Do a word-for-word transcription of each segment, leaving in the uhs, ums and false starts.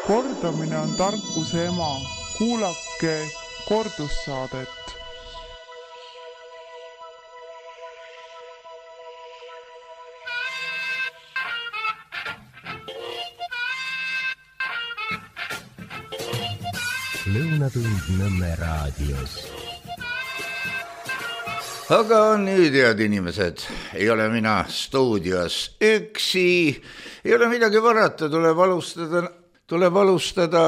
Kordamine on tarkuse ema. Kuulake kordussaadet. Lõunatund Nõmme raadios. Aga nüüd, head inimesed, ei ole mina stuudios üksi, ei ole midagi varata, tuleb alustada, tuleb alustada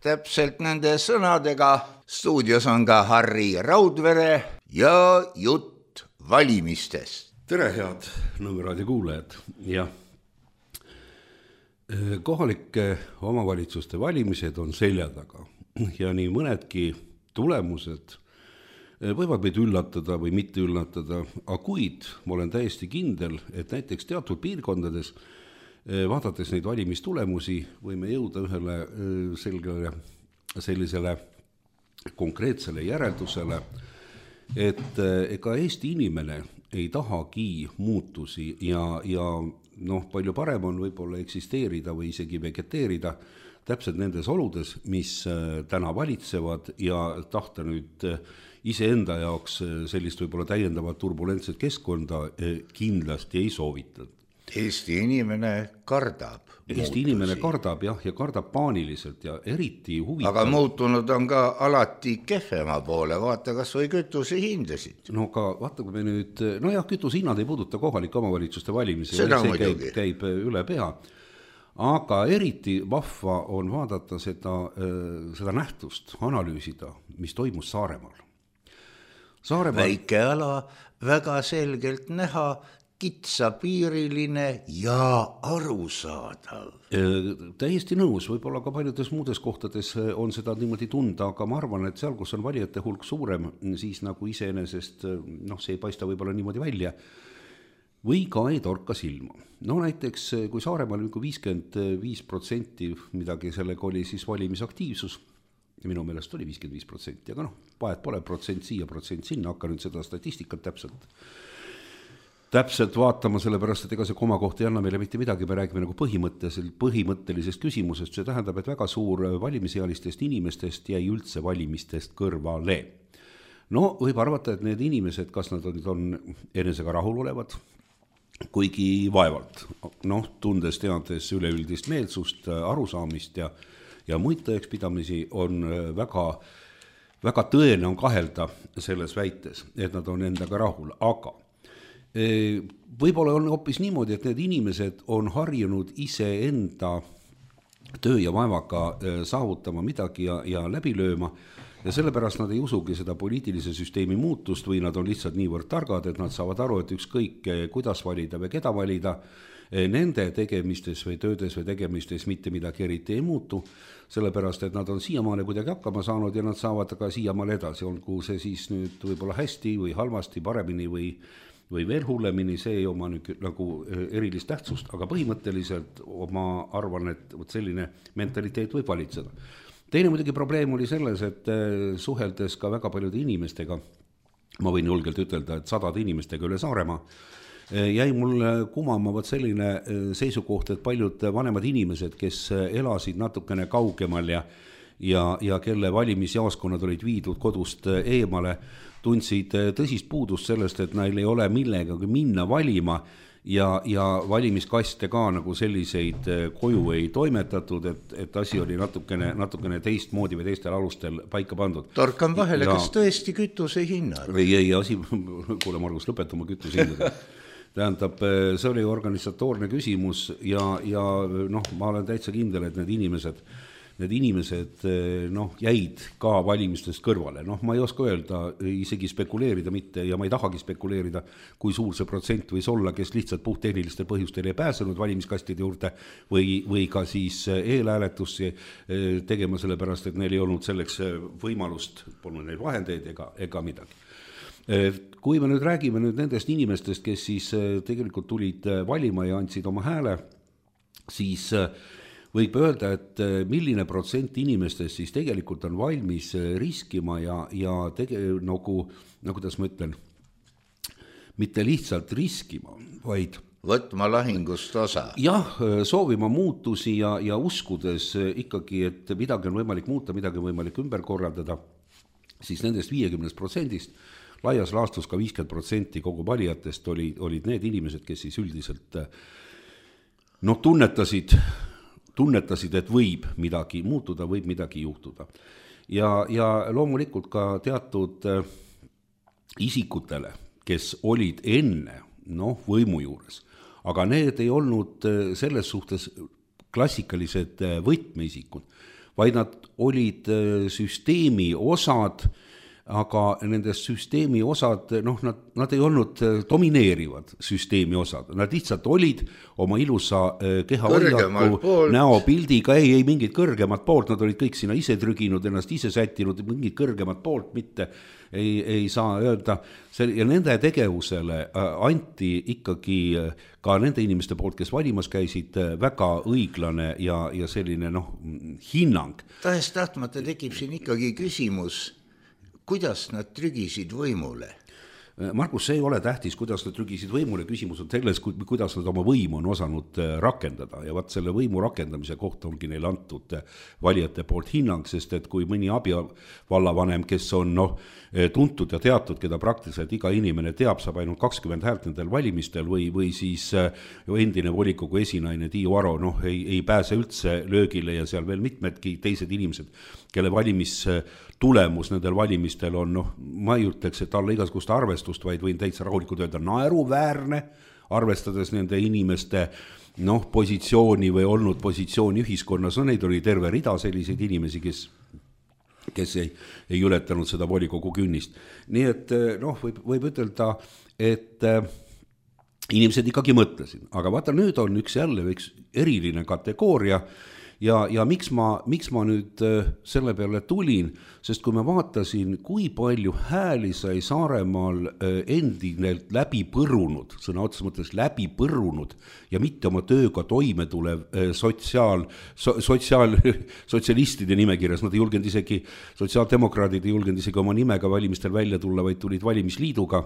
täpselt nende sõnadega. Stuudios on ka Harri Raudvere ja jutt valimistest. Tere, head Nõmme raadio kuulajad. Ja kohalike omavalitsuste valimised on selja taga ja nii mõnedki tulemused võivad meid üllatada või mitte üllatada, aga kuid ma olen täiesti kindel, et näiteks teatud piirkondades, vaadates neid valimistulemusi, võime jõuda ühele selgele, sellisele konkreetsele järeldusele, et ega Eesti inimene ei tahagi muutusi ja, ja noh, palju parem on võib-olla eksisteerida või isegi vegeteerida täpselt nendes oludes, mis täna valitsevad ja tahta nüüd iseenda jaoks sellist võib-olla täiendavat turbulentset keskkonda kindlasti ei soovita. Eesti inimene kardab. Eesti muutusi. Inimene kardab jah, ja kardab paaniliselt ja eriti huvitav. Aga muutunud on ka alati kehvema poole, vaata kas või kütuse hindasid. No ka vaata, kui me nüüd, no jah, kütuse hinnad ei puuduta kohalike omavalitsuste valimisi, Seda see käib, muidugi. käib üle pea. Aga eriti vahva on vaadata seda, seda nähtust, analüüsida, mis toimus Saaremaal. Saaremaal... Väike ala, väga selgelt näha, kitsapiiriline ja arusaadav. Täiesti nõus, võib-olla ka paljudes muudes kohtades on seda niimoodi tunda, aga ma arvan, et seal, kus on valijate hulk suurem, siis nagu iseenesest, noh, see ei paista võib-olla niimoodi välja, või ka ei torka silma. No näiteks, kui Saaremaal viiskümmend viis protsenti midagi sellega oli siis valimisaktiivsus, minu meelest oli viiskümmend viis protsenti, aga noh, vahet pole protsent siia, protsent sinna, hakka nüüd seda statistikat täpselt täpselt vaatama, sellepärast, et ega see koma kohta ei anna meile mitte midagi, me räägime nagu põhimõttelisest küsimusest, see tähendab, et väga suur valimisealistest inimestest jäi üldse valimistest kõrvale. No võib arvata, et need inimesed, kas nad on enesega rahul olevad, kuigi vaevalt, noh, tundes teades üleüldist meelsust, arusaamist ja, ja muid tõekspidamisi on väga, väga tõene on kahelda selles väites, et nad on endaga rahul, aga võib-olla on hoopis niimoodi, et need inimesed on harjunud ise enda töö ja vaevaga saavutama midagi ja, ja läbi lööma ja sellepärast nad ei usugi seda poliitilise süsteemi muutust või nad on lihtsalt niivõrd targad, et nad saavad aru, et ükskõik kuidas valida või keda valida, nende tegemistes või töödes või tegemistes mitte midagi eriti ei muutu, sellepärast, et nad on siiamaale kuidagi hakkama saanud ja nad saavad ka siiamaale edasi, olgu see siis nüüd võib-olla hästi või halvasti, paremini või või veel hullemini, see ei oma nüüd nagu erilist tähtsust, aga põhimõtteliselt ma arvan, et selline mentaliteet võib valitseda. Teine muidugi probleem oli selles, et suheldes ka väga paljude inimestega, ma võin julgelt ütelda, et sadade inimestega üle Saaremaa, jäi mul kumama võt selline seisukoht, et paljud vanemad inimesed, kes elasid natukene kaugemal ja ja, ja kelle valimisjaoskonnad olid viidud kodust eemale, tundsid tõsist puudust sellest, et neil ei ole millegagi minna valima ja, ja valimiskaste ka nagu selliseid koju ei toimetatud, et, et asi oli natukene, natukene teistmoodi või teistel alustel paika pandud. Torkan vahele, ja... kas tõesti kütuse hinnad? Ei, ei, asi, kuule Margus, lõpetama kütuse hinnad. Tähendab, see oli organisatoorne küsimus ja, ja noh, ma olen täitsa kindel, et need inimesed Need inimesed noh, jäid ka valimistest kõrvale. Noh, ma ei oska öelda, isegi spekuleerida mitte ja ma ei tahagi spekuleerida, kui suur see protsent võis olla, kes lihtsalt puhttehnilistel põhjustel ei pääsenud valimiskastide juurde või, või ka siis eelhääletusi tegema sellepärast, et neil ei olnud selleks võimalust, polnud neil vahendeid ega, ega midagi. Kui me nüüd räägime nüüd nendest inimestest, kes siis tegelikult tulid valima ja andsid oma hääle, siis võib öelda, et milline protsent inimestest siis tegelikult on valmis riskima ja, ja tege, nagu, nagu kuidas ma ütlen, mitte lihtsalt riskima, vaid võtma lahingust osa. Jah, soovima muutusi ja, ja uskudes ikkagi, et midagi on võimalik muuta, midagi on võimalik ümber korraldada, siis nendest viiekümnest protsendist laias laastus ka viiskümmend protsenti kogu valijatest oli, olid need inimesed, kes siis üldiselt no, tunnetasid, tunnetasid, et võib midagi muutuda, võib midagi juhtuda. Ja, ja loomulikult ka teatud isikutele, kes olid enne no, võimu juures, aga need ei olnud selles suhtes klassikalised võtmeisikud, vaid nad olid süsteemi osad, aga nendest süsteemi osad, noh, nad, nad ei olnud domineerivad süsteemi osad, nad lihtsalt olid oma ilusa kehahoiaku näopildiga, ei, ei mingid kõrgemat poolt, nad olid kõik sinna ise trüginud, ennast ise sättinud, mingid kõrgemat poolt mitte ei, ei saa öelda. Ja nende tegevusele anti ikkagi ka nende inimeste poolt, kes valimas käisid, väga õiglane ja, ja selline noh, hinnang. Tahes tahtmata tekib siin ikkagi küsimus, kuidas nad trügisid võimule? Markus, see ei ole tähtis, kuidas nad trügisid võimule, küsimus on selles, kuidas nad oma võimu on osanud rakendada ja vaat selle võimu rakendamise kohta ongi neil antud valijate poolt hinnang, sest et kui mõni abivallavanem, kes on noh, tuntud ja teatud, keda praktiliselt iga inimene teab, saab ainult kakskümmend häält nendel valimistel või, või siis endine volikogu esinaine Tiiu Aro noh, ei, ei pääse üldse löögile ja seal veel mitmedki teised inimesed, kelle valimistulemus nendel valimistel on, noh, ma ei ütleks, et alla igasugust arvestust, vaid võin täitsa rahulikult öelda naeruväärne, arvestades nende inimeste noh, positsiooni või olnud positsiooni ühiskonnas, no neid oli terve rida selliseid inimesi, kes kes ei, ei ületanud seda volikogu künnist. Nii et noh, võib, võib ütelda, et inimesed ikkagi mõtlesid, aga vaata nüüd on üks jälle üks eriline kategooria ja, ja miks, ma, miks ma nüüd selle peale tulin, sest kui ma vaatasin, kui palju hääli sai Saaremaal endinelt läbi põrunud, sõna otseses mõttes läbi põrunud ja mitte oma tööga toime tulev sotsiaal, so, sotsiaal, sotsialistide nimekirjas, nad ei julgenud isegi, sotsiaaldemokraadid ei julgenud isegi oma nimega valimistel välja tulla, vaid tulid valimisliiduga,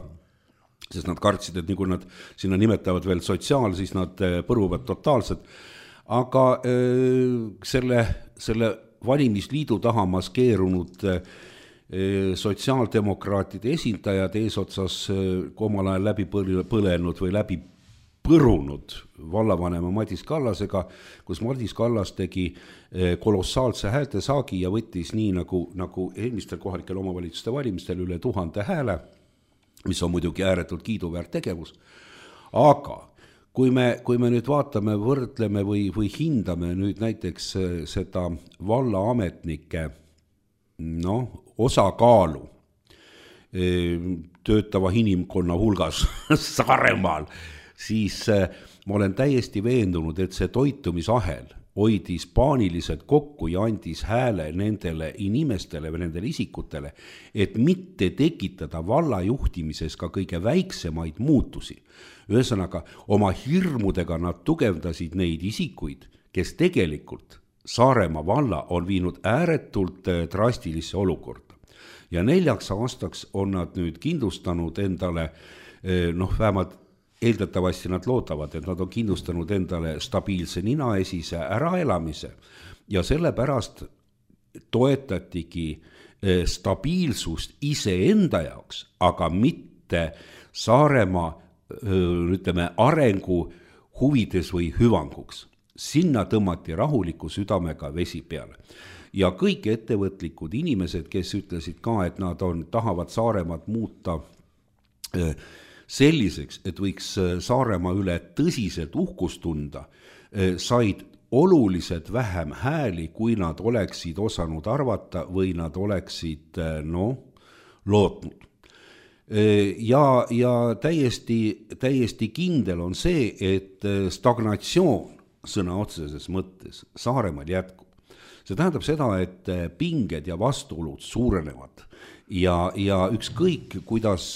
sest nad kartsid, et nii kui nad sinna nimetavad veel sotsiaal, siis nad põruvad totaalselt. Aga äh, selle, selle valimisliidu taha maskeerunud äh, sotsiaaldemokraatide esindajad eesotsas äh, omal ajal läbi põlenud või läbi põrunud vallavanema Madis Kallasega, kus Madis Kallas tegi äh, kolossaalse häälte saagi ja võttis nii nagu, nagu eelmistel kohalikel omavalitsuste valimistel üle tuhande hääle, mis on muidugi ääretult kiiduväärt tegevus, aga Kui me, kui me nüüd vaatame, võrdleme või, või hindame nüüd näiteks seda vallaametnike no, osakaalu töötava inimkonna hulgas Saaremaal, siis ma olen täiesti veendunud, et see toitumisahel hoidis paaniliselt kokku ja andis hääle nendele inimestele või nendele isikutele, et mitte tekitada valla juhtimises ka kõige väiksemaid muutusi. Ühesõnaga, oma hirmudega nad tugevdasid neid isikuid, kes tegelikult Saaremaa valla on viinud ääretult drastilisse olukorda. Ja neljaks aastaks on nad nüüd kindlustanud endale, noh vähemalt eeldatavasti nad loodavad, et nad on kindlustanud endale stabiilse ninaesise äraelamise ja sellepärast toetatigi stabiilsust iseenda jaoks, aga mitte Saaremaa ütleme, arengu huvides või hüvanguks. Sinna tõmmati rahuliku südamega vesi peale. Ja kõik ettevõtlikud inimesed, kes ütlesid ka, et nad on, tahavad Saaremaad muuta selliseks, et võiks Saaremaa üle tõsiselt uhkust tunda, said oluliselt vähem hääli, kui nad oleksid osanud arvata või nad oleksid no, lootnud. Ja, ja täiesti, täiesti kindel on see, et stagnatsioon sõna otseses mõttes Saaremaal jätkub. See tähendab seda, et pinged ja vastuolud suurenevad ja, ja ükskõik, kuidas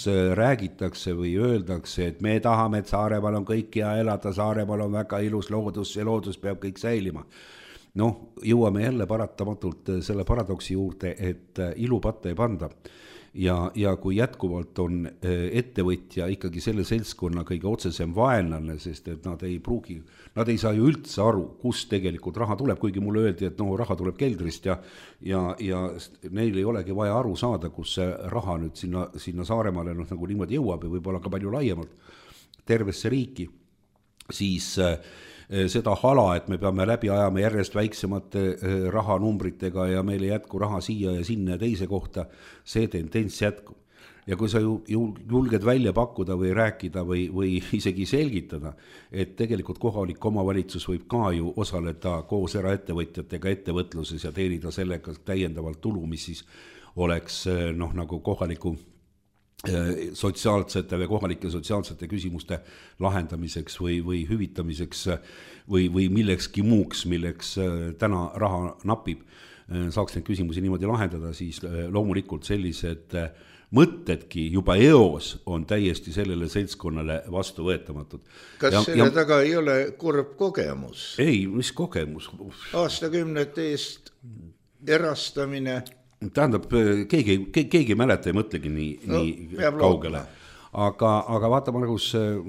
räägitakse või öeldakse, et me tahame, et Saaremaal on kõik hea elada, Saaremaal on väga ilus loodus, see loodus peab kõik säilima. Noh, jõuame jälle paratamatult selle paradoksi juurde, et ilu patta ei panda. ja, ja kui jätkuvalt on ettevõtja ikkagi selle seltskonna kõige otsesem vaenlane, sest et nad ei pruugi, nad ei saa ju üldse aru, kus tegelikult raha tuleb, kuigi mulle öeldi, et no raha tuleb keldrist ja, ja, ja neil ei olegi vaja aru saada, kus see raha nüüd sinna, sinna Saaremaale noh, nagu niimoodi jõuab ja võib-olla ka palju laiemalt tervesse riiki, siis seda hala, et me peame läbi ajama järjest väiksemate rahanumbritega ja meil ei jätku raha siia ja sinna ja teise kohta, see tendents jätkub. Ja kui sa ju julged välja pakkuda või rääkida või, või isegi selgitada, et tegelikult kohalik omavalitsus võib ka ju osaleda koos eraettevõtjatega ettevõtluses ja teenida sellega täiendavalt tulu, mis siis oleks noh, nagu kohaliku sotsiaalsete või kohalike sotsiaalsete küsimuste lahendamiseks või, või hüvitamiseks või, või millekski muuks, milleks täna raha napib, saaks neid küsimusi niimoodi lahendada, siis loomulikult sellised mõtedki juba eos on täiesti sellele seltskonnale vastu võetamatud. Kas ja, selle ja... taga ei ole kurb kogemus? Ei, mis kogemus? Aastakümnete eest erastamine... Tähendab, keegi, keegi ei mäleta, ei mõtlegi nii, no, nii kaugele. Aga, aga vaata, ma, nagu,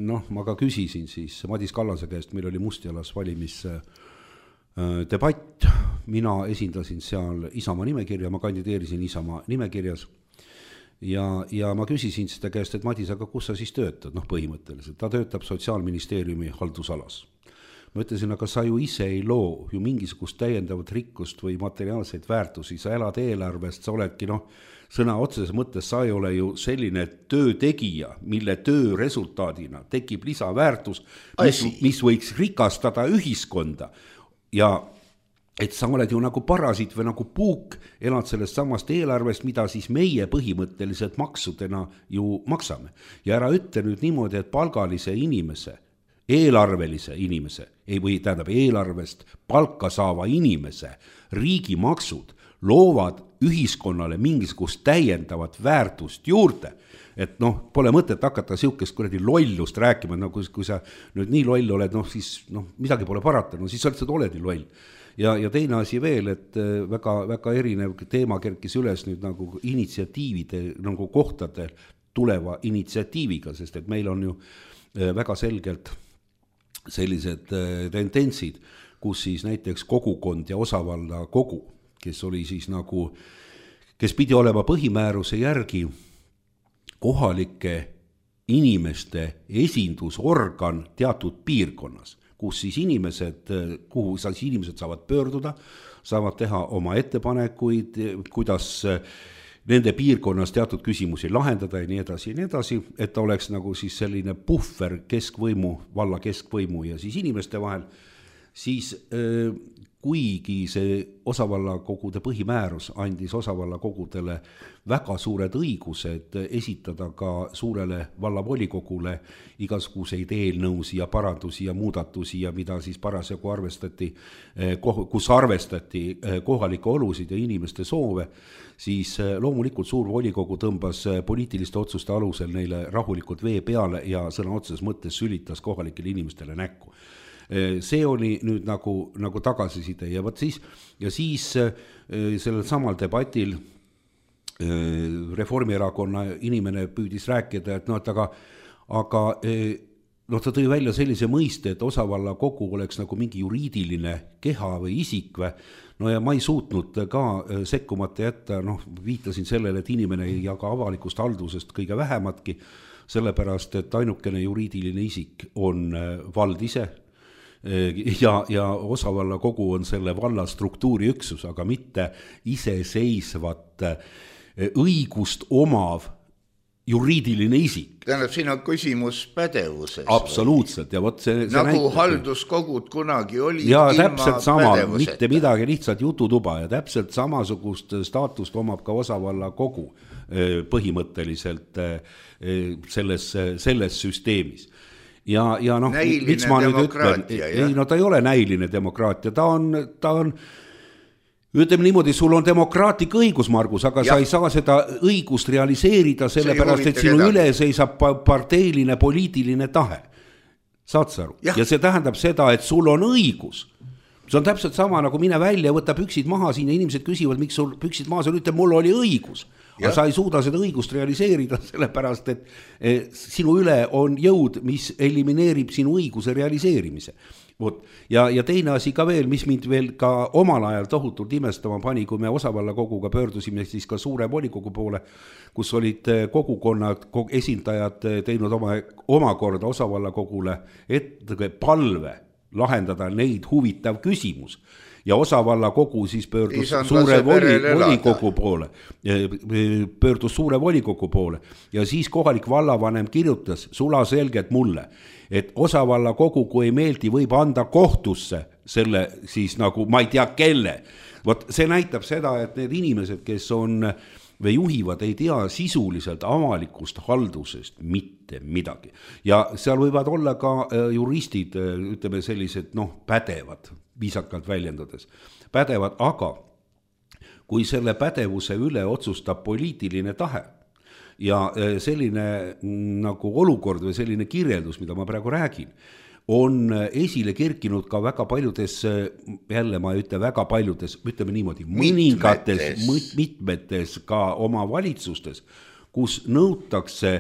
noh, ma ka küsisin siis Madis Kallase käest, meil oli Mustjalas valimis debatt, mina esindasin seal Isamaa nimekirja, ma kandideerisin Isamaa nimekirjas ja, ja ma küsisin seda käest, et Madis, aga kus sa siis töötad, noh põhimõtteliselt, ta töötab Sotsiaalministeeriumi haldusalas. Ma ütlesin, aga sa ju ise ei loo ju mingisugust täiendavat rikkust või materiaalseid väärtusi, sa elad eelarvest, sa oledki noh, sõna otseses mõttes, sa ei ole ju selline töötegija, mille töö resultaadina tekib lisaväärtus, mis, mis võiks rikastada ühiskonda ja et sa oled ju nagu parasit või nagu puuk, elad sellest samast eelarvest, mida siis meie põhimõtteliselt maksudena ju maksame. Ja ära ütle nüüd niimoodi, et palgalise inimese eelarvelise inimese, ei või tähendab eelarvest palka saava inimese riigimaksud loovad ühiskonnale mingisugust täiendavat väärtust juurde. Et noh, pole mõtet hakata siukest kuradi lollust rääkima, no kui, kui sa nüüd nii loll oled, noh siis noh, midagi pole parata, no siis sa lihtsalt oled nii loll. Ja, ja teine asi veel, et väga, väga erinev teema kerkis üles nüüd nagu initsiatiivide nagu kohtade tuleva initsiatiiviga, sest et meil on ju väga selgelt sellised tendentsid, kus siis näiteks kogukond ja osavalla kogu, kes oli siis nagu, kes pidi olema põhimääruse järgi kohalike inimeste esindusorgan teatud piirkonnas, kus siis inimesed, kuhu siis inimesed saavad pöörduda, saavad teha oma ettepanekuid, kuidas nende piirkonnas teatud küsimusi lahendada ja nii edasi ja nii edasi, et ta oleks nagu siis selline puhver keskvõimu, valla keskvõimu ja siis inimeste vahel, siis äh, kuigi see osavallakogude põhimäärus andis osavallakogudele väga suured õigused esitada ka suurele vallavolikogule igasuguseid eelnõusi ja parandusi ja muudatusi ja mida siis parasjagu arvestati, kus arvestati kohalikke olusid ja inimeste soove, siis loomulikult suur volikogu tõmbas poliitiliste otsuste alusel neile rahulikult vee peale ja sõna otseses mõttes sülitas kohalikele inimestele näkku. See oli nüüd nagu, nagu tagasiside ja võt siis, ja siis sellel samal debatil Reformierakonna inimene püüdis rääkida, et no, et aga, aga no, ta tõi välja sellise mõiste, et osavalla kogu oleks nagu mingi juriidiline keha või isik või, no ja ma ei suutnud ka sekkumata jätta, noh, viitasin sellele, et inimene ei jaga avalikust haldusest kõige vähematki, sellepärast, et ainukene juriidiline isik on vald ise, ja, ja osavalla kogu on selle valla struktuuri üksus, aga mitte iseseisvat õigust omav juriidiline isik. Tähendab, siin on küsimus pädevuses. Absoluutselt. Ja võt see, see nagu näitab, halduskogud kunagi oli ja täpselt sama, mitte midagi, lihtsalt jututuba ja täpselt samasugust staatust omab ka osavalla kogu põhimõtteliselt selles, selles süsteemis. Ja, ja noh, miks ma nüüd ütlen, ei, no ta ei ole näiline demokraatia, ta on, ta on, ütleme niimoodi, sul on demokraatlik õigus, Margus, aga ja. Sa ei saa seda õigust realiseerida sellepärast, et sinu üle seisab parteiline poliitiline tahe. Saad sa aru? Ja. ja see tähendab seda, et sul on õigus. See on täpselt sama, nagu mine välja, võta püksid maha siin ja inimesed küsivad, miks sul püksid maha, sul ütleb, mul oli õigus. aga sa ei suuda seda õigust realiseerida, sellepärast et sinu üle on jõud, mis elimineerib sinu õiguse realiseerimise. Vot. Ja, ja teine asi ka veel, mis mind veel ka omal ajal tohutult imestama pani, kui me osavalla koguga pöördusime siis ka suure volikogu poole, kus olid kogukonnad, esindajad teinud oma, omakorda osavalla kogule ette palve lahendada neid huvitav küsimus. Ja osavalla kogu siis pöördus suure voli, volikogu poole, pöördus suure volikogu poole ja siis kohalik vallavanem kirjutas sulaselgelt mulle, et osavalla kogu, kui ei meeldi, võib anda kohtusse selle siis nagu ma ei tea kelle. Vot see näitab seda, et need inimesed, kes on või juhivad, ei tea sisuliselt avalikust haldusest mitte midagi. Ja seal võivad olla ka juristid, ütleme sellised noh, pädevad, viisakalt väljendades. Pädevad, aga kui selle pädevuse üle otsustab poliitiline tahe ja selline nagu olukord või selline kirjeldus, mida ma praegu räägin, on esile kerkinud ka väga paljudes, jälle ma ütle väga paljudes, ütleme niimoodi, mõningates, mitmetes ka oma valitsustes, kus nõutakse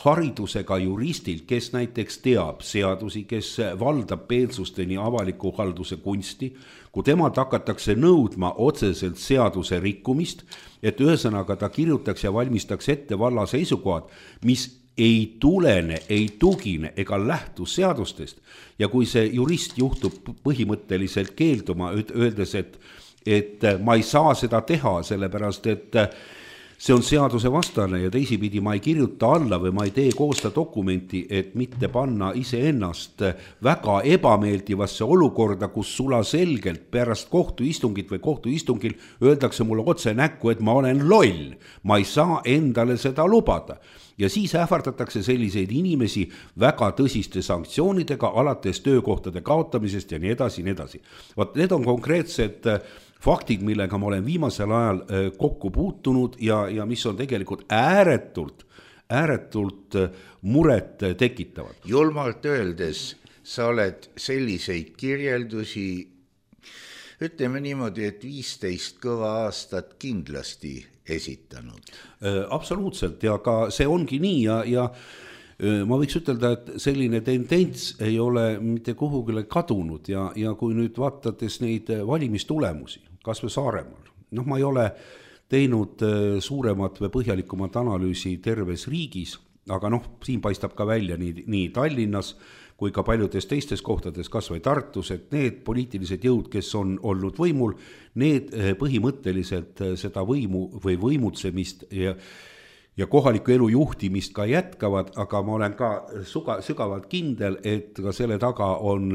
haridusega juristilt, kes näiteks teab seadusi, kes valdab peelsusteni avaliku halduse kunsti, kui temalt hakatakse nõudma otseselt seaduse rikkumist, et ühesõnaga ta kirjutaks ja valmistaks ette valla seisukohad, mis ei tulene, ei tugine ega lähtu seadustest. Ja kui see jurist juhtub põhimõtteliselt keelduma, öeldes, et, et ma ei saa seda teha, sellepärast et see on seaduse vastane ja teisipidi ma ei kirjuta alla või ma ei tee koosta dokumenti, et mitte panna iseennast väga ebameeldivasse olukorda, kus sula selgelt pärast kohtuistungit või kohtuistungil öeldakse mulle otse näkku, et ma olen loll. Ma ei saa endale seda lubada. Ja siis ähvardatakse selliseid inimesi väga tõsiste sanktsioonidega, alates töökohtade kaotamisest ja nii edasi, nii edasi. Vaat need on konkreetsed faktid, millega ma olen viimasel ajal kokku puutunud ja, ja mis on tegelikult ääretult, ääretult muret tekitavad. Julmalt öeldes, sa oled selliseid kirjeldusi, ütleme niimoodi, et viisteist kõva aastat kindlasti esitanud. Absoluutselt ja ka see ongi nii ja, ja ma võiks ütelda, et selline tendents ei ole mitte kuhugile kadunud ja, ja kui nüüd vaatades neid valimistulemusi, kas või Saaremaal, noh ma ei ole teinud suuremat või põhjalikumat analüüsi terves riigis, aga noh, siin paistab ka välja nii, nii Tallinnas kui ka paljudes teistes kohtades, kas või Tartus, et need poliitilised jõud, kes on olnud võimul, need põhimõtteliselt seda võimu või võimutsemist ja, ja kohaliku elu juhtimist ka jätkavad, aga ma olen ka suga, sügavalt kindel, et ka selle taga on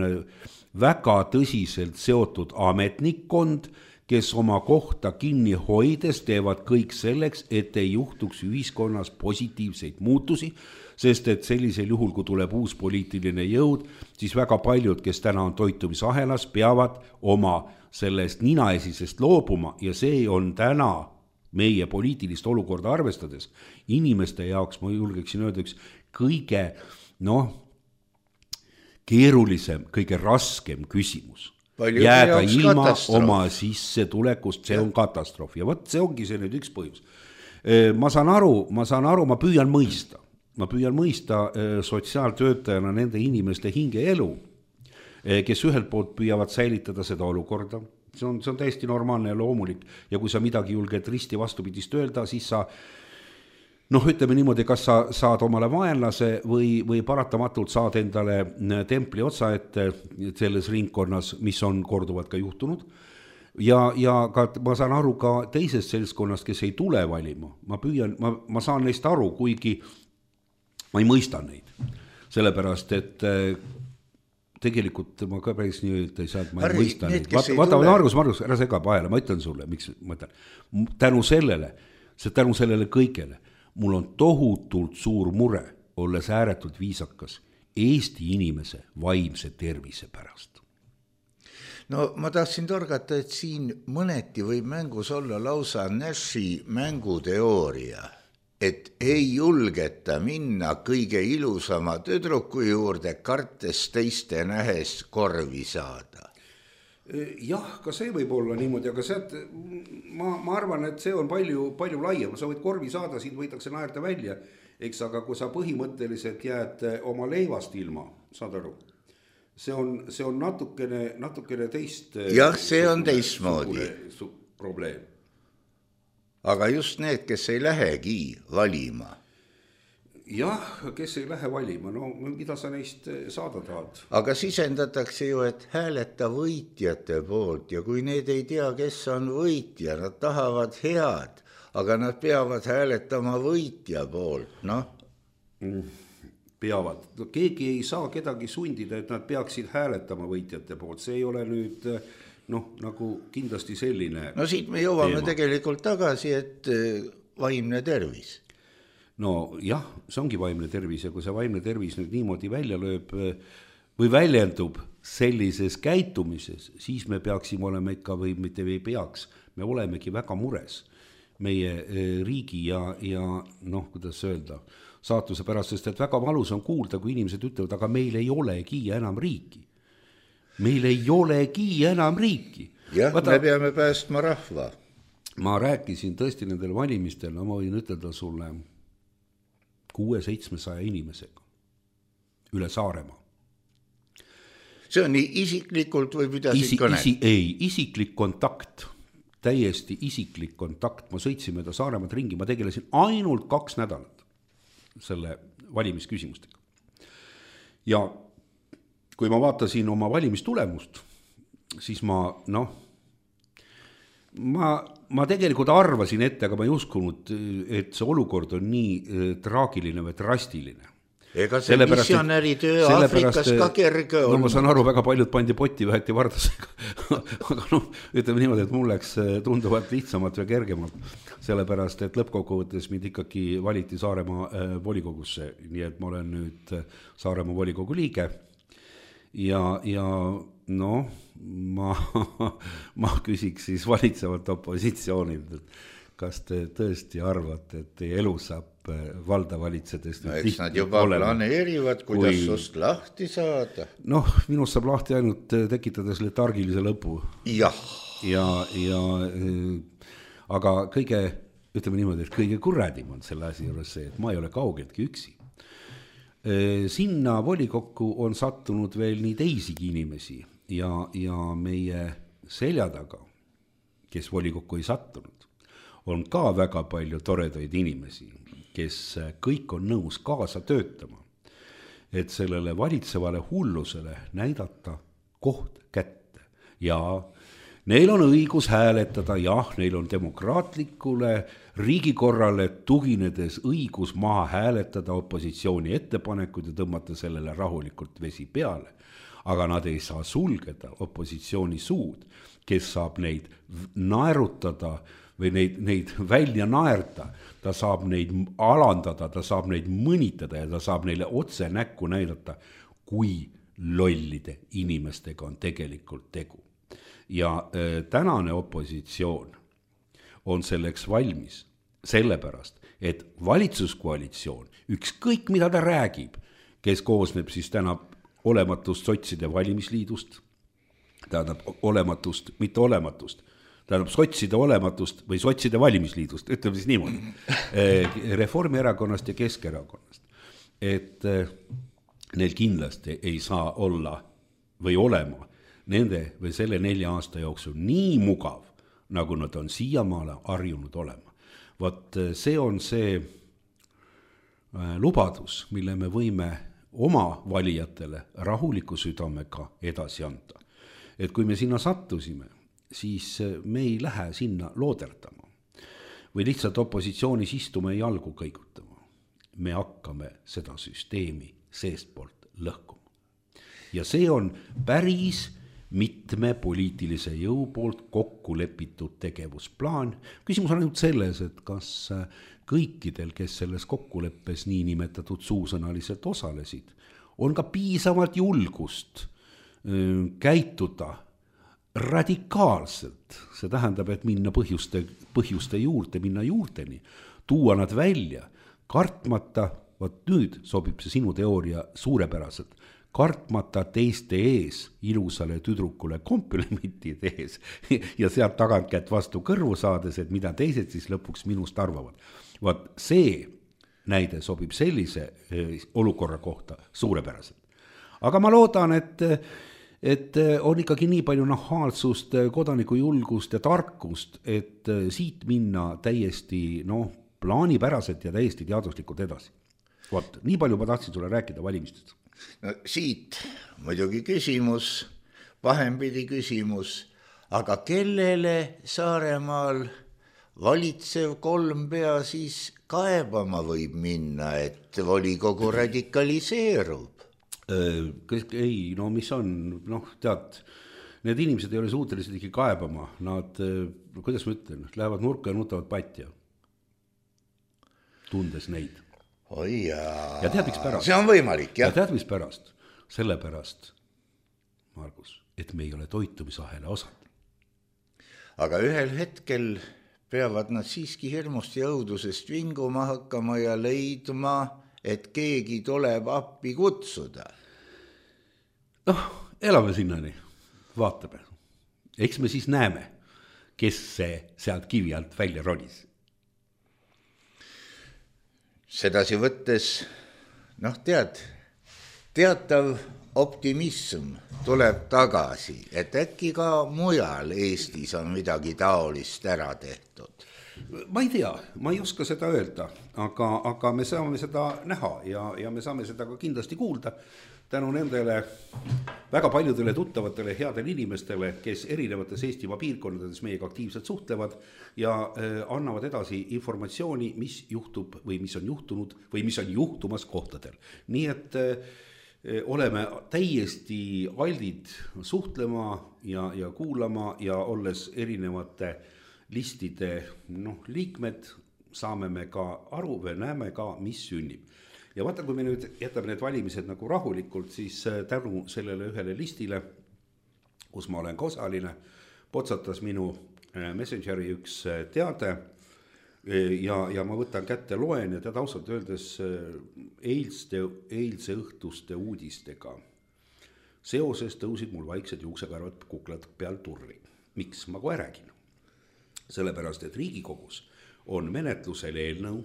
väga tõsiselt seotud ametnikkond, kes oma kohta kinni hoides teevad kõik selleks, et ei juhtuks ühiskonnas positiivseid muutusi, sest et sellisel juhul, kui tuleb uus poliitiline jõud, siis väga paljud, kes täna on toitumisahelas, peavad oma sellest ninaesisest loobuma ja see on täna meie poliitilist olukorda arvestades inimeste jaoks, ma julgeksin öelda, üks kõige noh, keerulisem, kõige raskem küsimus. Palju jääda ilma katastroof. Oma sissetulekust, see on katastroof ja võt, see ongi see nüüd üks põhjus. Ma saan aru, ma saan aru, ma püüan mõista. Ma püüan mõista sotsiaaltöötajana nende inimeste hingeelu, kes ühelt poolt püüavad säilitada seda olukorda. See on, see on täiesti normaalne ja loomulik. Ja kui sa midagi julged risti vastupidist öelda, siis sa, noh ütleme niimoodi, kas sa saad omale vaenlase või, või paratamatult saad endale templi otsa ette selles ringkonnas, mis on korduvalt ka juhtunud. Ja, ja ka, ma saan aru ka teisest seltskonnast, kes ei tule valima. Ma püüan, ma, ma saan neist aru, kuigi ma ei mõista neid, sellepärast, et tegelikult ma ka päris nii öelda ei saa, et ma ei mõista neid. Vaata, vaata, Margus, Margus, ära sega vahele, ma ütlen sulle, miks ma ütlen. Tänu sellele, see tänu sellele kõigele, mul on tohutult suur mure, olles ääretult viisakas, Eesti inimese vaimse tervise pärast. No ma tahtsin torgata, et siin mõneti võib mängus olla lausa Nashi mänguteooria, et ei julgeta minna kõige ilusama tüdruku juurde, kartes teiste nähes korvi saada. Jah, ka see võib olla niimoodi, aga sealt ma, ma arvan, et see on palju, palju laiem. Sa võid korvi saada, siin võidakse naerda välja, eks, aga kui sa põhimõtteliselt jääd oma leivast ilma, saad aru, see on, see on natukene, natukene teist. Jah, see on teistmoodi probleem. Aga just need, kes ei lähegi valima. Jah, kes ei lähe valima, no mida sa neist saada tahad? Aga sisendatakse ju, et hääleta võitjate poolt ja kui need ei tea, kes on võitja, nad tahavad head, aga nad peavad hääletama võitja poolt, noh. Peavad. No, keegi ei saa kedagi sundida, et nad peaksid hääletama võitjate poolt, see ei ole nüüd noh, nagu kindlasti selline. No siit me jõuame teema. Tegelikult tagasi, et vaimne tervis. No jah, see ongi vaimne tervis ja kui see vaimne tervis nüüd niimoodi välja lööb või väljendub sellises käitumises, siis me peaksime olema ikka või mitte või peaks, me olemegi väga mures meie riigi ja, ja noh, kuidas öelda, saatuse pärast, sest et väga valus on kuulda, kui inimesed ütlevad, aga meil ei olegi enam riiki. Meil ei olegi enam riiki. Jah, Vaata, me peame päästma rahva. Ma rääkisin tõesti nendel valimistel, no ma võin ütelda sulle kuue-seitsmesaja inimesega üle Saaremaa. See on nii isiklikult või pidasid isi, kõne? Isi, ei, isiklik kontakt, täiesti isiklik kontakt. Ma sõitsin mööda Saaremaad ringi, ma tegelesin ainult kaks nädalat selle valimisküsimustega. Ja kui ma vaatasin oma valimistulemust, siis ma, noh, ma, ma tegelikult arvasin ette, aga ma ei uskunud, et see olukord on nii traagiline või drastiline. Ega see missionäritöö Aafrikas ka kerge on. No ma saan aru, väga paljud pandi potti, väheti vardasega. Aga noh, ütleme niimoodi, et mul läks tunduvalt lihtsamalt või kergemalt, sellepärast, et lõppkokkuvõttes mind ikkagi valiti Saaremaa volikogusse, nii et ma olen nüüd Saaremaa volikogu liige ja, ja noh, ma, ma küsiks siis valitsevalt opositsioonilt, et kas te tõesti arvate, et teie elu saab valda valitsedest? No, eks nad juba planeerivad, kuidas kui... sust lahti saada. Noh, minust saab lahti ainult tekitades letargilise lõpu. Jah. Ja, ja, aga kõige, ütleme niimoodi, et kõige kurradim on selle asi juures see, et ma ei ole kaugeltki üksi. Sinna volikokku on sattunud veel nii teisigi inimesi ja, ja meie selja taga, kes volikokku ei sattunud, on ka väga palju toredaid inimesi, kes kõik on nõus kaasa töötama, et sellele valitsevale hullusele näidata koht kätte. Ja neil on õigus hääletada, jah, neil on demokraatlikule riigikorrale tuginedes õigus maha hääletada opositsiooni ettepanekud ja tõmmata sellele rahulikult vesi peale. Aga nad ei saa sulgeda opositsiooni suud, kes saab neid naerutada või neid, neid välja naerda, ta saab neid alandada, ta saab neid mõnitada ja ta saab neile otse näkku näidata, kui lollide inimestega on tegelikult tegu. Ja äh, tänane opositsioon on selleks valmis, sellepärast, et valitsuskoalitsioon, ükskõik mida ta räägib, kes koosneb siis täna olematust sotside valimisliidust, tähendab olematust, mitte olematust, tähendab sotside olematust või sotside valimisliidust, ütleme siis niimoodi, Reformierakonnast ja Keskerakonnast, et neil kindlasti ei saa olla või olema nende või selle nelja aasta jooksul nii mugav, nagu nad on siiamaale harjunud olema. Vot see on see lubadus, mille me võime oma valijatele rahuliku südamega edasi anda. Et kui me sinna sattusime, siis me ei lähe sinna looderdama või lihtsalt opositsioonis istuma ja jalgu kõigutama. Me hakkame seda süsteemi seestpoolt lõhkuma. Ja see on päris mitme poliitilise jõu poolt kokku lepitud tegevusplaan. Küsimus on ainult selles, et kas kõikidel, kes selles kokkuleppes nii nimetatud suusõnaliselt osalesid, on ka piisavalt julgust käituda radikaalselt. See tähendab, et minna põhjuste, põhjuste juurde, minna juurteni, tuua nad välja, kartmata, vot nüüd sobib see sinu teooria suurepäraselt, kartmata teiste ees ilusale tüdrukule komplimenti tehes ja sealt tagant kätt vastu kõrvu saades, et mida teised siis lõpuks minust arvavad. Vaat see näide sobib sellise olukorra kohta suurepäraselt. Aga ma loodan, et, et on ikkagi nii palju nahaalsust, kodanikujulgust ja tarkust, et siit minna täiesti no, plaanipäraselt ja täiesti teaduslikult edasi. Vaat, nii palju ma tahtsin sulle rääkida valimistest. No siit muidugi küsimus, pahempidi küsimus, aga kellele Saaremaal valitsev kolmpea siis kaebama võib minna, et volikogu radikaliseerub? Ei, no mis on, noh tead, need inimesed ei ole suutelised ikkagi kaebama, nad, kuidas ma ütlen, lähevad nurka ja nutavad patja, tundes neid. Oi jaa. Ja tead, miks pärast? See on võimalik, jah. Ja tead, mis pärast? Sellepärast, Margus, et me ei ole toitumisahela osad. Aga ühel hetkel peavad nad siiski hirmust ja õudusest vinguma hakkama ja leidma, et keegi tuleb appi kutsuda. Noh, elame sinnani, vaatame. Eks me siis näeme, kes see sealt kivi alt välja ronis. Sedasi võttes, noh tead, teatav optimism tuleb tagasi, et äkki ka mujal Eestis on midagi taolist ära tehtud. Ma ei tea, ma ei oska seda öelda, aga, aga me saame seda näha ja, ja me saame seda ka kindlasti kuulda tänu nendele väga paljudele tuttavatele headele inimestele, kes erinevates Eestimaa piirkondades meiega aktiivselt suhtlevad ja äh, annavad edasi informatsiooni, mis juhtub või mis on juhtunud või mis on juhtumas kohtadel. Nii et äh, oleme täiesti aldid suhtlema ja, ja kuulama ja olles erinevate listide noh, liikmed, saame me ka aru või näeme ka, mis sünnib. Ja vaata, kui me nüüd jätame need valimised nagu rahulikult, siis tänu sellele ühele listile, kus ma olen ka osaline, potsatas minu Messengeri üks teade ja, ja ma võtan kätte loen ja tead ausalt öeldes eilste, eilse õhtuste uudistega. Seoses tõusid mul vaiksed juuksekarvad kuklad peal turri. Miks? Ma kohe räägin. Sellepärast, et Riigikogus on menetlusel eelnõu,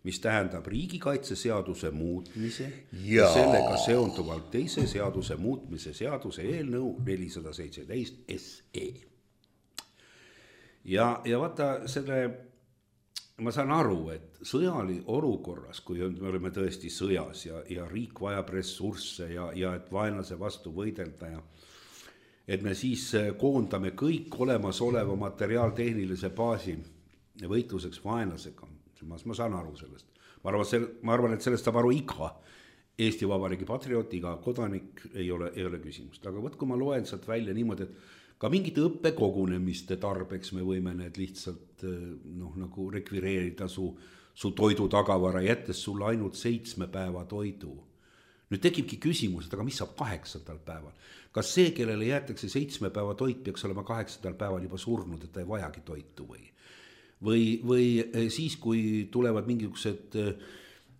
mis tähendab riigikaitseseaduse muutmise ja sellega seonduvalt teise seaduse muutmise seaduse eelnõu nelisada seitseteist S E. Ja, ja vaata selle, ma saan aru, et sõjali olukorras, kui me oleme tõesti sõjas ja, ja riik vajab ressursse ja, ja et vaenlase vastu võidelda ja et me siis koondame kõik olemasoleva materiaaltehnilise baasi võitluseks vaenlasega. Ma, ma saan aru sellest. Ma arvan, sel, ma arvan, et sellest saab aru iga Eesti Vabariigi patrioot, iga kodanik ei ole, ei ole küsimust. Aga võt, kui ma loen sealt välja niimoodi, et ka mingite õppekogunemiste tarbeks me võime need lihtsalt noh, nagu rekvireerida su, su toidu tagavara, jättes sulle ainult seitsme päeva toidu. Nüüd tekibki küsimus, et aga mis saab kaheksandal päeval? Kas see, kellele jäetakse seitsme päeva toit, peaks olema kaheksandal päeval juba surnud, et ta ei vajagi toitu või? Või, või siis, kui tulevad mingisugused,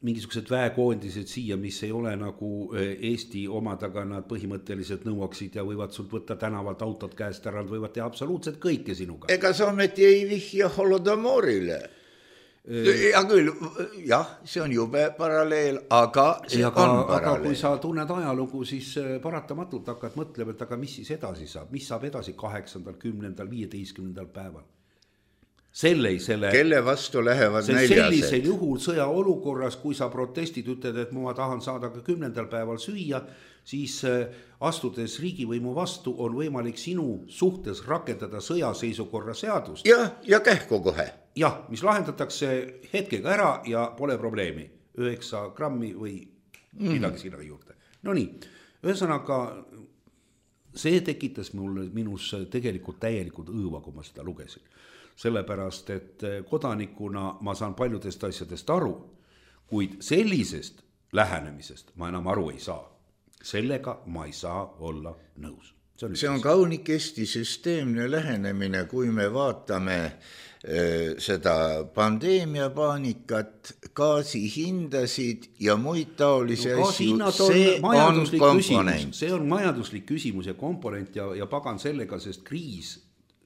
mingisugused väekoondised siia, mis ei ole nagu Eesti omad, aga nad põhimõtteliselt nõuaksid ja võivad sult võtta tänavalt autot käest ära, nad võivad teha absoluutselt kõike sinuga. Ega sa ometi ei vihja Holodomorile? Ja küll, jah, see on jube paralleel, aga see aga, on paralleel. Aga kui sa tunned ajalugu, siis paratamatult hakkad mõtlema, et aga mis siis edasi saab? Mis saab edasi kaheksandal, kümnendal, viieteistkümnendal päeval? Selle, selle, kelle vastu lähevad näljased? Sellisel juhul sõja olukorras, kui sa protestid, ütled, et ma tahan saada ka kümnendal päeval süüa, siis astudes riigivõimu vastu on võimalik sinu suhtes rakendada sõjaseisukorra seadust. Ja, ja kähku kohe. Jah, mis lahendatakse hetkega ära ja pole probleemi. Üheksa grammi või midagi sinna juurde. No nii, ühesõnaga see tekitas mulle minus tegelikult täielikult õõva, kui ma seda lugesin. Sellepärast, et kodanikuna ma saan paljudest asjadest aru, kuid sellisest lähenemisest ma enam aru ei saa. Sellega ma ei saa olla nõus. see on, see on kaunikesti süsteemne lähenemine, kui me vaatame äh, seda pandeemiapaanikat, gaasihindasid ja muid taolisi no, asju, see on komponent. See on majanduslik küsimus ja komponent ja, ja pagan sellega, sest kriis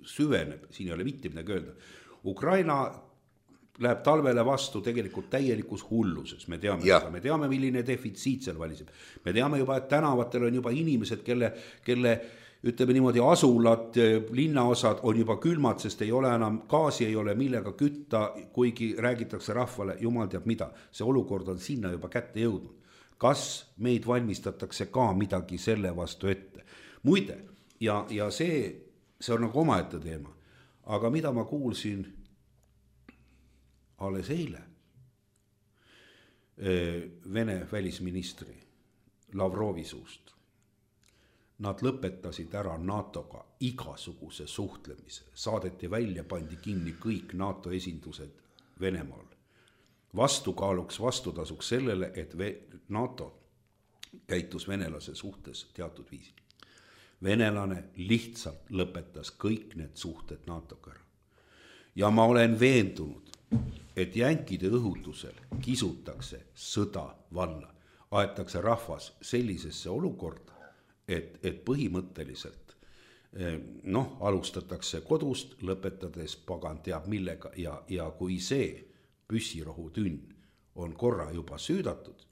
süveneb, siin ei ole mitte midagi öelda. Ukraina läheb talvele vastu tegelikult täielikus hulluses, me teame, me teame, milline defitsiit seal valiseb. Me teame juba, et tänavatel on juba inimesed, kelle, kelle ütleme niimoodi asulad, linnaosad on juba külmad, sest ei ole enam gaasi, ei ole millega kütta, kuigi räägitakse rahvale, jumal teab mida. See olukord on sinna juba kätte jõudnud. Kas meid valmistatakse ka midagi selle vastu ette? Muide, ja, ja see, see on nagu omaette teema. Aga mida ma kuulsin alles eile Vene välisministri Lavrovi suust. Nad lõpetasid ära NATOga igasuguse suhtlemise, saadeti välja, pandi kinni kõik NATO esindused Venemaal. Vastukaaluks, vastutasuks sellele, et NATO käitus venelase suhtes teatud viisil. Venelane lihtsalt lõpetas kõik need suhted NATOga ära. Ja ma olen veendunud, et jänkide õhutusel kisutakse sõda valla, aetakse rahvas sellisesse olukorda, et, et põhimõtteliselt noh, alustatakse kodust, lõpetades pagan teab millega ja, ja kui see püssirohutünn on korra juba süüdatud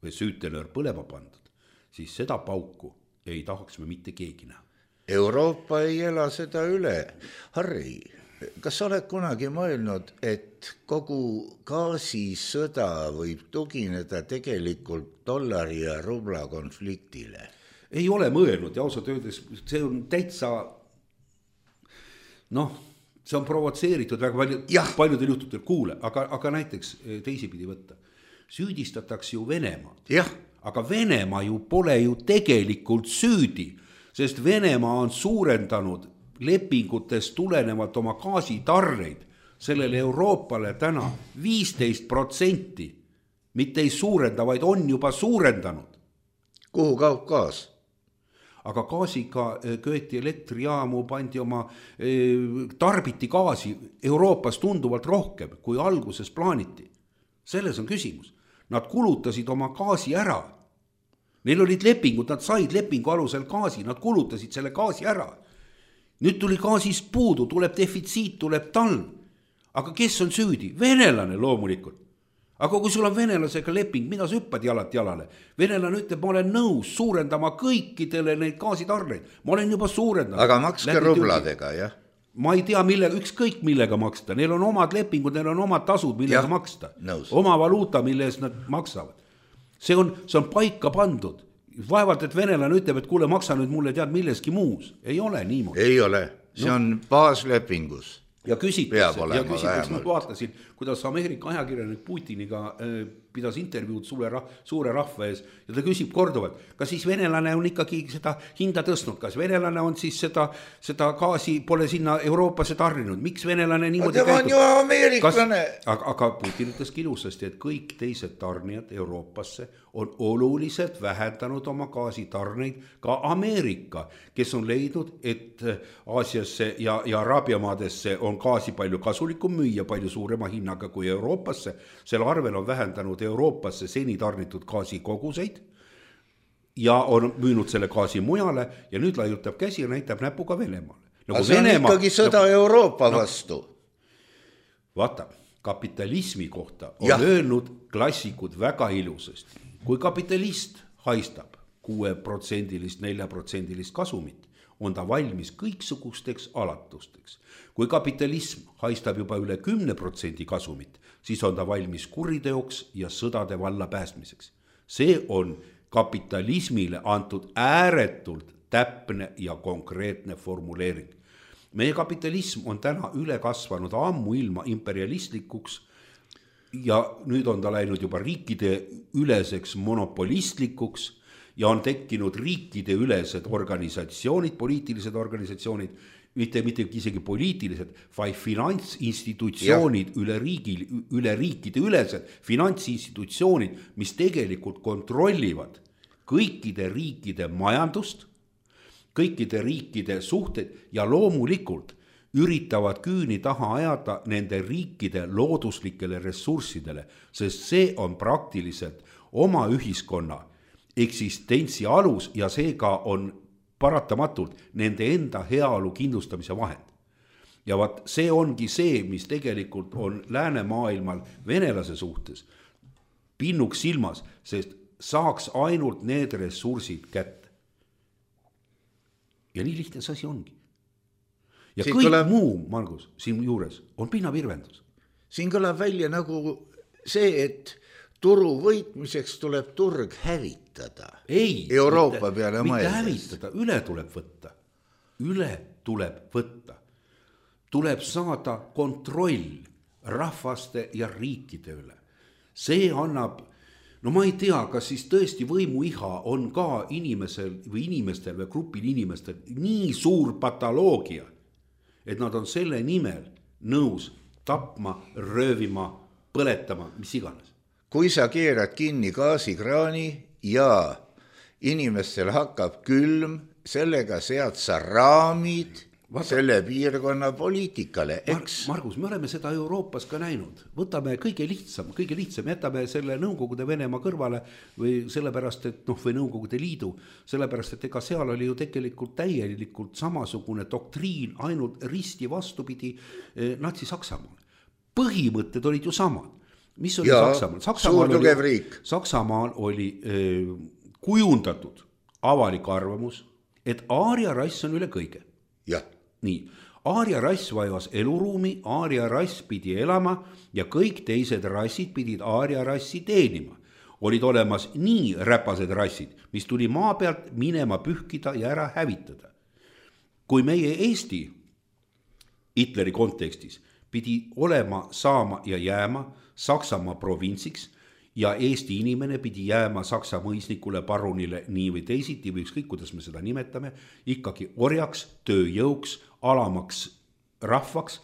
või süütenöör põlema pandud, siis seda pauku ei tahaks me mitte keegi näha. Euroopa ei ela seda üle. Harri, kas sa oled kunagi mõelnud, et kogu gaasisõda võib tugineda tegelikult dollari ja rubla konfliktile? Ei ole mõelnud ja ausalt öeldes see on täitsa, noh, see on provotseeritud väga palju, paljudel juhtudel kuule, aga, aga näiteks teisipidi võtta. Süüdistatakse ju Venemaad. Jah. Aga Venemaa ju pole ju tegelikult süüdi, sest Venemaa on suurendanud lepingutest tulenevalt oma gaasitarreid sellele Euroopale täna viisteist protsenti, mitte ei suurenda, vaid on juba suurendanud. Kuhu kaob gaas? Aga gaasiga köeti elektrijaamu, pandi oma, tarbiti gaasi Euroopas tunduvalt rohkem, kui alguses plaaniti. Selles on küsimus. Nad kulutasid oma gaasi ära. Neil olid lepingud, nad said lepingu alusel gaasi, nad kulutasid selle gaasi ära. Nüüd tuli gaasist puudu, tuleb defitsiit, tuleb talv. Aga kes on süüdi? Venelane loomulikult. Aga kui sul on venelasega leping, mida sa hüppad jalat jalale? Venelane ütleb, ma olen nõus suurendama kõikidele neid gaasitarreid. Ma olen juba suurendanud. Aga makske rubladega, jah? Ma ei tea, millega, ükskõik millega maksta. Neil on omad lepingud, neil on omad tasud, millega ja, maksta. Nõus. Oma valuuta, mille eest nad maksavad. See on, see on paika pandud. Vaevalt, et venelane ütleb, et kuule, maksa nüüd mulle tead milleski muus. Ei ole niimoodi. Ei ole. See no. on baaslepingus. Ja küsitakse, ja küsitakse, ma vaatasin, kuidas Ameerika ajakirjanik Putiniga äh, pidas intervjuud suure, rah, suure rahva ees ja ta küsib korduvalt, kas siis venelane on ikkagi seda hinda tõstnud, kas venelane on siis seda, seda gaasi pole sinna Euroopasse tarrinud, miks venelane niimoodi käitub? Ta on ju ameeriklane. Aga, aga Putin ütles ilusasti, et kõik teised tarnijad Euroopasse on oluliselt vähendanud oma gaasitarneid, ka Ameerika, kes on leidnud, et Aasiasse ja, ja Araabiamaadesse on gaasi palju kasulikum müüa palju suurema hinnaga kui Euroopasse. Selle arvel on vähendanud Euroopasse seni tarnitud gaasi koguseid ja on müünud selle gaasi mujale ja nüüd laiutab käsi ja näitab näpuga Venemaale. Nagu see on Venemaa, ikkagi sõda no, Euroopa vastu. No, vaata, kapitalismi kohta on ja. öelnud klassikud väga ilusasti. Kui kapitalist haistab kuue protsendilist, nelja protsendilist kasumit, on ta valmis kõiksugusteks alatusteks. Kui kapitalism haistab juba üle kümne protsendi kasumit, siis on ta valmis kuriteoks ja sõdade valla päästmiseks. See on kapitalismile antud ääretult täpne ja konkreetne formuleering. Meie kapitalism on täna üle kasvanud ammu ilma imperialistlikuks ja nüüd on ta läinud juba riikide üleseks monopolistlikuks ja on tekkinud riikide ülesed organisatsioonid, poliitilised organisatsioonid, mitte, mitte isegi poliitilised, vaid finantsinstitutsioonid üle, riigi, üle riikide ülesed, finantsinstitutsioonid, mis tegelikult kontrollivad kõikide riikide majandust, kõikide riikide suhted ja loomulikult üritavad küüni taha ajada nende riikide looduslikele ressurssidele, sest see on praktiliselt oma ühiskonna eksistentsi alus ja seega on paratamatult nende enda heaolu kindlustamise vahend. Ja vaat see ongi see, mis tegelikult on läänemaailmal venelase suhtes pinnuks silmas, sest saaks ainult need ressursid kätte. Ja nii lihtne see asi ongi. Ja siin kõik kõlab, muu, Margus, siin juures on pinnavirvendus. Siin kõlab välja nagu see, et turu võitmiseks tuleb turg hävitada. Ei, Euroopa mitte, peale mitte mõeldes. hävitada, üle tuleb võtta. Üle tuleb võtta. Tuleb saada kontroll rahvaste ja riikide üle. See annab, no ma ei tea, kas siis tõesti võimuiha on ka inimesel või inimestel või grupil inimestel nii suur patoloogia, et nad on selle nimel nõus tapma, röövima, põletama, mis iganes. Kui sa keerad kinni gaasikraani ja inimestel hakkab külm, sellega sead sa raamid Vaata, selle piirkonna poliitikale, eks? Margus, me oleme seda Euroopas ka näinud. Võtame kõige lihtsam, kõige lihtsam, jätame selle Nõukogude Venemaa kõrvale või sellepärast, et noh, või Nõukogude Liidu, sellepärast, et ega seal oli ju tegelikult täielikult samasugune doktriin, ainult risti vastupidi eh, Natsi-Saksamaal. Põhimõtted olid ju samad. Mis oli ja, Saksamaal? Saksamaal suur tugev oli, riik. Saksamaal oli eh, kujundatud avalik arvamus, et aaria rass on üle kõige. Jah. Nii, aaria rass vajus eluruumi, aaria rass pidi elama ja kõik teised rassid pidid aaria rassi teenima. Olid olemas nii räpased rassid, mis tuli maa pealt minema pühkida ja ära hävitada. Kui meie Eesti Hitleri kontekstis pidi olema, saama ja jääma Saksamaa provintsiks ja Eesti inimene pidi jääma Saksa mõisnikule, parunile nii või teisiti või ükskõik, kuidas me seda nimetame, ikkagi orjaks, tööjõuks, alamaks rahvaks,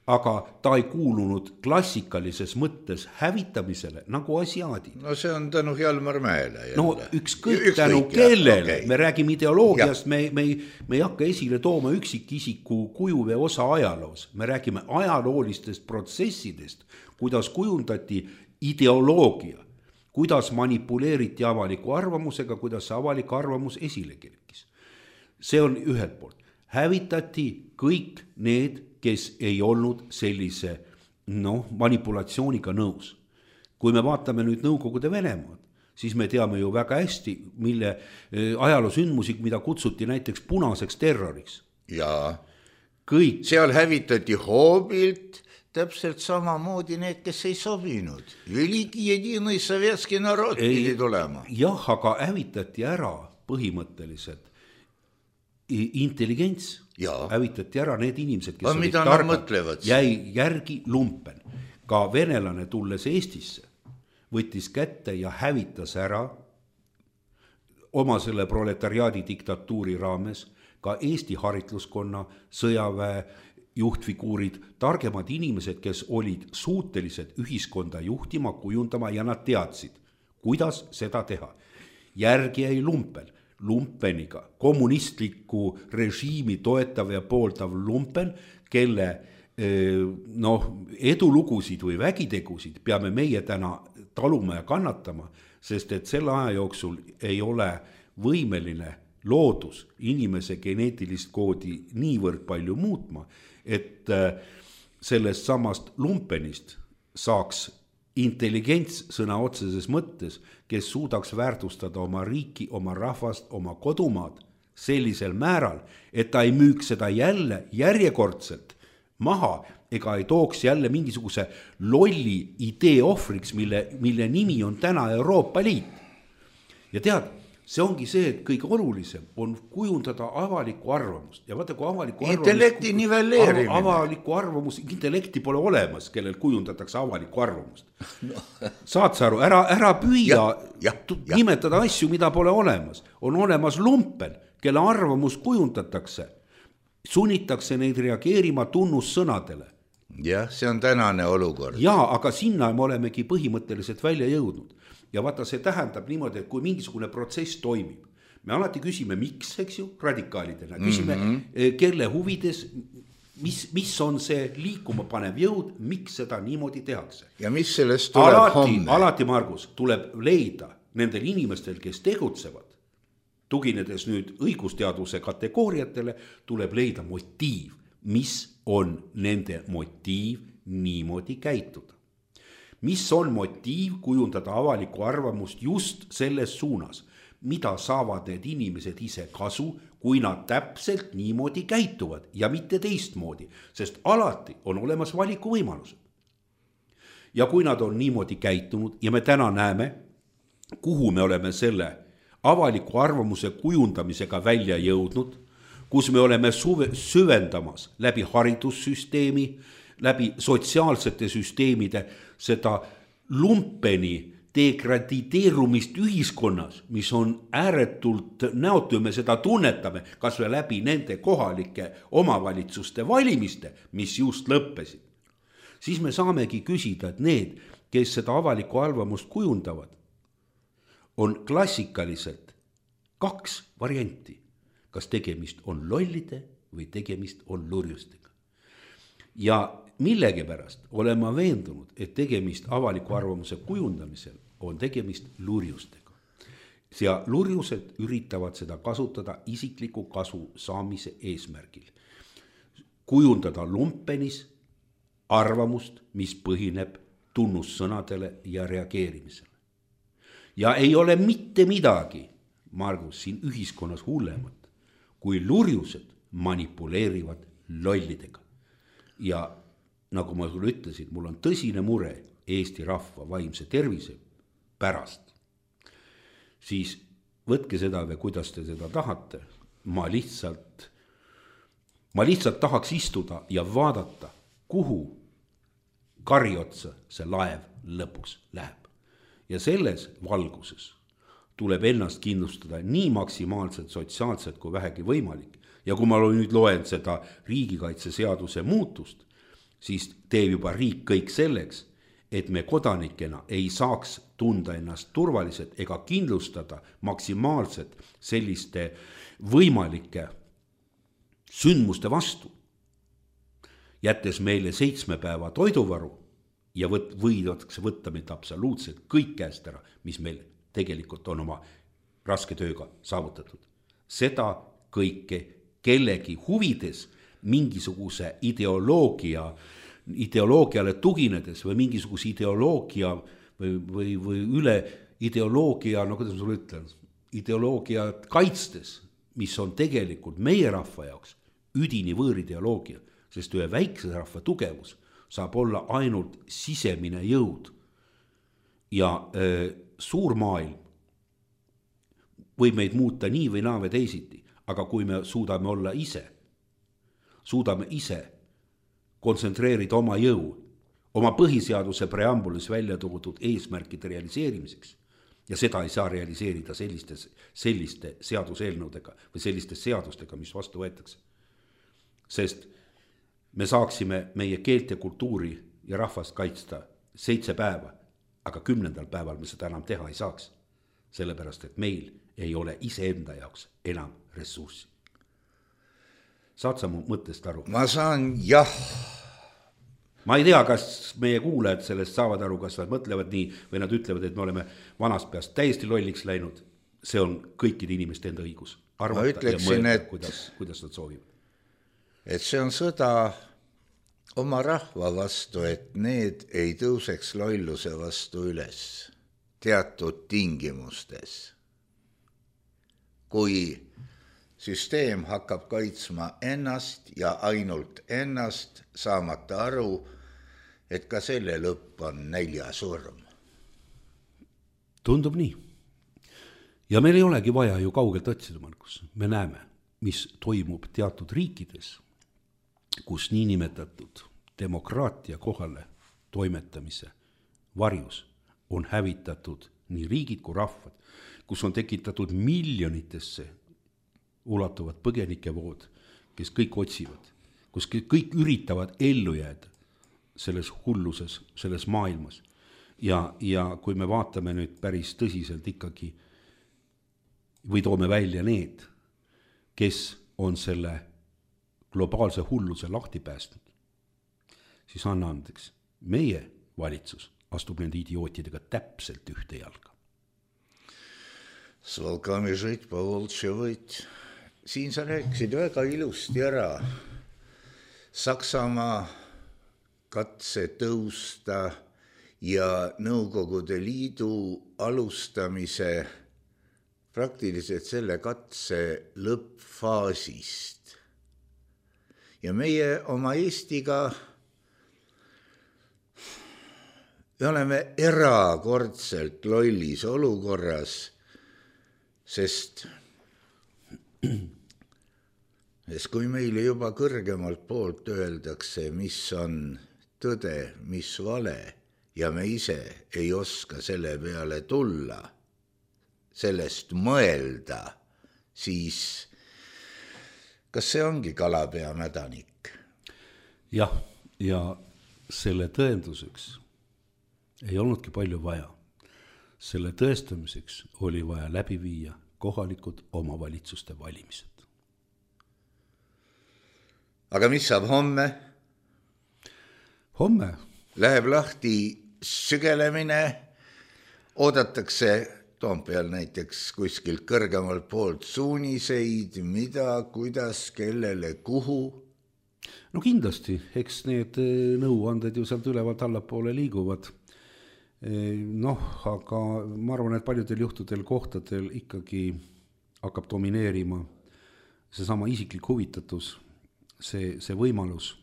aga ta ei kuulunud klassikalises mõttes hävitamisele nagu asiaadid. No see on tänu Hjalmar Mäele. Jälle. No ükskõik, ükskõik tänu kellele, okay. Me räägime ideoloogiast, me, me, me ei hakka esile tooma üksikisiku kuju või osa ajaloos. Me räägime ajaloolistest protsessidest, kuidas kujundati ideoloogia, kuidas manipuleeriti avaliku arvamusega, kuidas see avalik arvamus esile kerkis. See on ühelt poolt. Hävitati kõik need, kes ei olnud sellise no, manipulatsiooniga nõus. Kui me vaatame nüüd Nõukogude Venemaad, siis me teame ju väga hästi, mille ajaloosündmusik, mida kutsuti näiteks punaseks terroriks. Ja kõik. Seal hävitati hoobilt täpselt samamoodi need, kes ei sobinud. Veliki jedinõi sovetski narod pidi tulema. Jah, aga hävitati ära põhimõtteliselt intelligents, ja. Hävitati ära need inimesed, kes olid targad, jäi järgi lumpen. Ka venelane tulles Eestisse võttis kätte ja hävitas ära oma selle proletariaadi diktatuuri raames ka Eesti haritluskonna, sõjaväe juhtfiguurid, targemad inimesed, kes olid suutelised ühiskonda juhtima, kujundama ja nad teadsid, kuidas seda teha. Järgi jäi lumpen. Lumpeniga, kommunistliku režiimi toetav ja pooldav lumpen, kelle no, edulugusid või vägitegusid peame meie täna taluma ja kannatama, sest et selle aja jooksul ei ole võimeline loodus inimese geneetilist koodi niivõrd palju muutma, et sellest samast lumpenist saaks intelligents sõna otseses mõttes, kes suudaks väärtustada oma riiki, oma rahvast, oma kodumaad sellisel määral, et ta ei müüks seda jälle järjekordselt maha ega ei tooks jälle mingisuguse lolli idee ohvriks, mille, mille nimi on täna Euroopa Liit. Ja tead, see ongi see, et kõige olulisem on kujundada avalikku arvamust. Ja vaata, kui avalikku intellekti arvamust, nivelleerimine. Avalikku arvamus, intellekti pole olemas, kellel kujundatakse avalikku arvamust. No. Saad sa aru, ära, ära püüa ja, ja, ja. nimetada asju, mida pole olemas. On olemas lumpen, kelle arvamus kujundatakse. Sunnitakse neid reageerima tunnussõnadele. Jah, see on tänane olukord. Jaa, aga sinna me olemegi põhimõtteliselt välja jõudnud. Ja vaata, see tähendab niimoodi, et kui mingisugune protsess toimib, me alati küsime, miks, eks ju, radikaalidena, küsime mm-hmm. kelle huvides, mis, mis on see liikuma panev jõud, miks seda niimoodi tehakse. Ja mis sellest tuleb alati, homme? Alati, Margus, tuleb leida nendel inimestel, kes tegutsevad, tuginedes nüüd õigusteaduse kategooriatele, tuleb leida motiiv, mis on nende motiiv niimoodi käituda. Mis on motiiv kujundada avalikku arvamust just selles suunas, mida saavad need inimesed ise kasu, kui nad täpselt niimoodi käituvad ja mitte teistmoodi, sest alati on olemas valikuvõimalused. Ja kui nad on niimoodi käitunud ja me täna näeme, kuhu me oleme selle avaliku arvamuse kujundamisega välja jõudnud, kus me oleme suve, süvendamas läbi haridussüsteemi, läbi sotsiaalsete süsteemide seda lumpeni degradideerumist ühiskonnas, mis on ääretult näotu, me seda tunnetame, kas või läbi nende kohalike omavalitsuste valimiste, mis just lõppesid. Siis me saamegi küsida, et need, kes seda avalikku arvamust kujundavad, on klassikaliselt kaks varianti. Kas tegemist on lollide või tegemist on lurjustega. Ja millegipärast olen ma veendunud, et tegemist avaliku arvamuse kujundamisel on tegemist lurjustega. Ja lurjused üritavad seda kasutada isikliku kasu saamise eesmärgil. Kujundada lumpenis arvamust, mis põhineb tunnussõnadele ja reageerimisele. Ja ei ole mitte midagi, Margus, siin ühiskonnas hullemat, kui lurjused manipuleerivad lollidega. Ja nagu ma sulle ütlesin, mul on tõsine mure Eesti rahva vaimse tervise pärast. Siis võtke seda või kuidas te seda tahate. Ma lihtsalt, ma lihtsalt tahaks istuda ja vaadata, kuhu kariotsa see laev lõpuks läheb. Ja selles valguses tuleb ennast kindlustada nii maksimaalselt sotsiaalselt kui vähegi võimalik. Ja kui ma nüüd loen seda riigikaitseseaduse muutust, siis teeb juba riik kõik selleks, et me kodanikena ei saaks tunda ennast turvaliselt ega kindlustada maksimaalselt selliste võimalike sündmuste vastu. Jättes meile seitsme päeva toiduvaru ja võt, võidakse võtta meid absoluutselt kõik käest ära, mis meil tegelikult on oma raske tööga saavutatud. Seda kõike kellegi huvides mingisuguse ideoloogia, ideoloogiale tuginedes või mingisuguse ideoloogia või, või, või üle ideoloogia, no kuidas ma sulle ütlen, ideoloogia kaitstes, mis on tegelikult meie rahva jaoks üdini võõrideoloogia, sest ühe väikse rahva tugevus saab olla ainult sisemine jõud. Ja äh, suur maailm võib meid muuta nii või naa või teisiti, aga kui me suudame olla ise, suudame ise kontsentreerida oma jõu, oma põhiseaduse preambulis välja toodud eesmärkide realiseerimiseks, ja seda ei saa realiseerida selliste, selliste seaduseelnõudega või selliste seadustega, mis vastu võetakse. Sest me saaksime meie keelt ja kultuuri ja rahvast kaitsta seitse päeva, aga kümnendal päeval me seda enam teha ei saaks, sellepärast et meil ei ole iseenda jaoks enam ressurssi. Saad sa mu mõttest aru? Ma saan, jah. Ma ei tea, kas meie kuulajad sellest saavad aru, kas nad mõtlevad nii või nad ütlevad, et me oleme vanast peast täiesti lolliks läinud. See on kõikide inimeste enda õigus. Arvata ütleksin, ja mõelda, et, kuidas, kuidas nad soovivad. Et see on sõda oma rahva vastu, et need ei tõuseks lolluse vastu üles teatud tingimustes. Kui süsteem hakkab kaitsma ennast ja ainult ennast, saamata aru, et ka selle lõpp on näljasurm. Tundub nii. Ja meil ei olegi vaja ju kaugelt otsida, Markus. Me näeme, mis toimub teatud riikides, kus niinimetatud demokraatia kohale toimetamise varjus on hävitatud nii riigid kui rahvad, kus on tekitatud miljonitesse ulatuvad põgenikevood, kes kõik otsivad, kus kõik üritavad ellu jääda selles hulluses, selles maailmas. Ja, ja kui me vaatame nüüd päris tõsiselt ikkagi või toome välja need, kes on selle globaalse hulluse lahti päästnud, siis anna andeks, meie valitsus astub nende idiootidega täpselt ühte jalga. S volkami žit, povoltši võit. Siin sa rääkisid väga ilusti ära Saksamaa katse tõusta ja Nõukogude Liidu alustamise praktiliselt selle katse lõppfaasist. Ja meie oma Eestiga me oleme erakordselt lollis olukorras, sest, sest kui meile juba kõrgemalt poolt öeldakse, mis on tõde, mis vale, ja me ise ei oska selle peale tulla, sellest mõelda, siis kas see ongi kalapea mädanik? Jah, ja selle tõenduseks ei olnudki palju vaja. Selle tõestamiseks oli vaja läbi viia kohalikud omavalitsuste valimised. Aga mis saab homme? Homme läheb lahti sügelemine, oodatakse Toompeal näiteks kuskilt kõrgemalt poolt suuniseid, mida, kuidas, kellele, kuhu. No kindlasti, eks need nõuanded ju sealt ülevalt allapoole liiguvad. Noh, aga ma arvan, et paljudel juhtudel kohtadel ikkagi hakkab domineerima see sama isiklik huvitatus, see, see võimalus,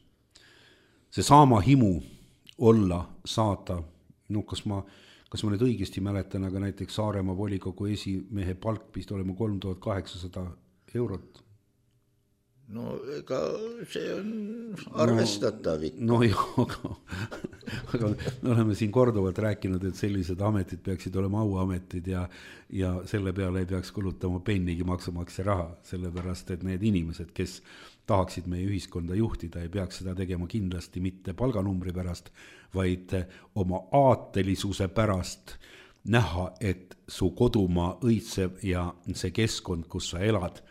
see sama himu olla, saada, no kas ma, kas ma nüüd õigesti mäletan, aga näiteks Saaremaa volikogu esimehe palk pist olema kolm tuhat kaheksasada eurot. No ega see on arvestatav. No, no jah, aga, aga me oleme siin korduvalt rääkinud, et sellised ametid peaksid olema auametid ja, ja selle peale ei peaks kulutama pennigi maksumaksja raha, sellepärast, et need inimesed, kes tahaksid meie ühiskonda juhtida, ei peaks seda tegema kindlasti mitte palganumbri pärast, vaid oma aatelisuse pärast näha, et su kodumaa õitsev ja see keskkond, kus sa elad,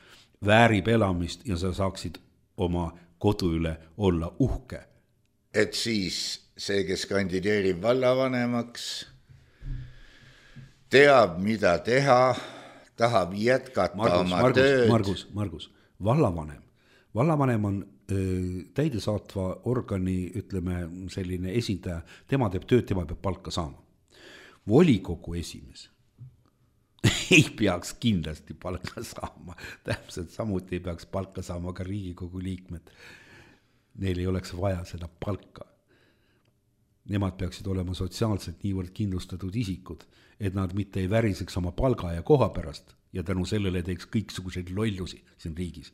väärib elamist ja sa saaksid oma kodu üle olla uhke. Et siis see, kes kandideerib vallavanemaks, teab, mida teha, tahab jätkata Margus, oma Margus, tööd. Margus, Margus, vallavanem. Vallavanem on öö, täidesaatva organi, ütleme, selline esindaja, tema teeb tööd, tema peab palka saama. Volikogu esimees ei peaks kindlasti palka saama, täpselt samuti ei peaks palka saama ka Riigikogu liikmed. Neil ei oleks vaja seda palka. Nemad peaksid olema sotsiaalselt niivõrd kindlustatud isikud, et nad mitte ei väriseks oma palga ja koha pärast ja tänu sellele teeks kõiksuguseid lollusi siin riigis.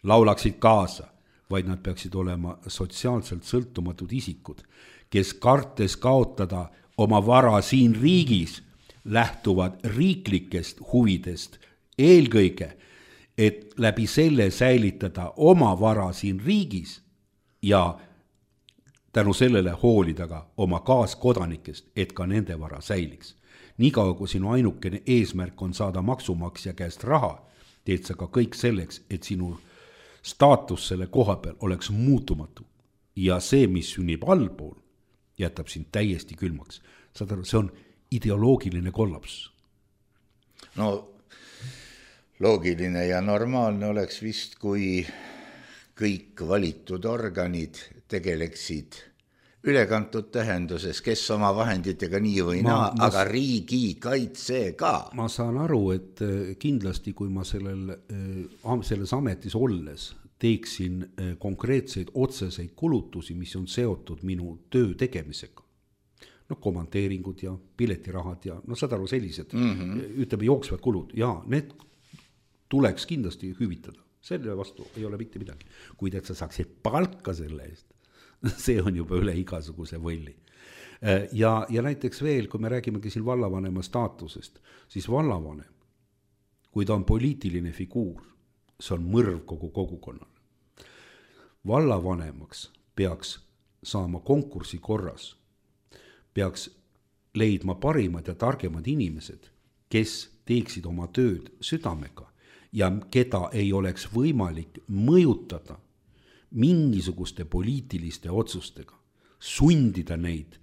Laulaksid kaasa, vaid nad peaksid olema sotsiaalselt sõltumatud isikud, kes kartes kaotada oma vara siin riigis, lähtuvad riiklikest huvidest eelkõige, et läbi selle säilitada oma vara siin riigis ja tänu sellele hoolida ka oma kaaskodanikest, et ka nende vara säiliks. Niikaua kui sinu ainukene eesmärk on saada maksumaksja käest raha, teed sa ka kõik selleks, et sinu staatus selle koha peal oleks muutumatu ja see, mis sünnib allpool, jätab sind täiesti külmaks. Saad aru, see on ideoloogiline kollaps. No loogiline ja normaalne oleks vist, kui kõik valitud organid tegeleksid ülekantud tähenduses, kes oma vahenditega nii või naa, aga riigi kaitse ka. Ma saan aru, et kindlasti kui ma sellel, selles ametis olles teeksin konkreetseid otseseid kulutusi, mis on seotud minu töö tegemisega, no komanteeringud ja piletirahad ja no saad aru sellised, mm-hmm. ütleme jooksvad kulud ja need tuleks kindlasti hüvitada. Selle vastu ei ole mitte midagi. Kuid et sa saaksid palka selle eest, see on juba üle igasuguse võlli. Ja, ja näiteks veel, kui me räägimegi siin vallavanema staatusest, siis vallavanem, kui ta on poliitiline figuur, see on mõrv kogu kogukonnale. Vallavanemaks peaks saama konkursi korras, peaks leidma parimad ja targemad inimesed kes teeksid oma tööd südamega ja keda ei oleks võimalik mõjutada mingisuguste poliitiliste otsustega, sundida neid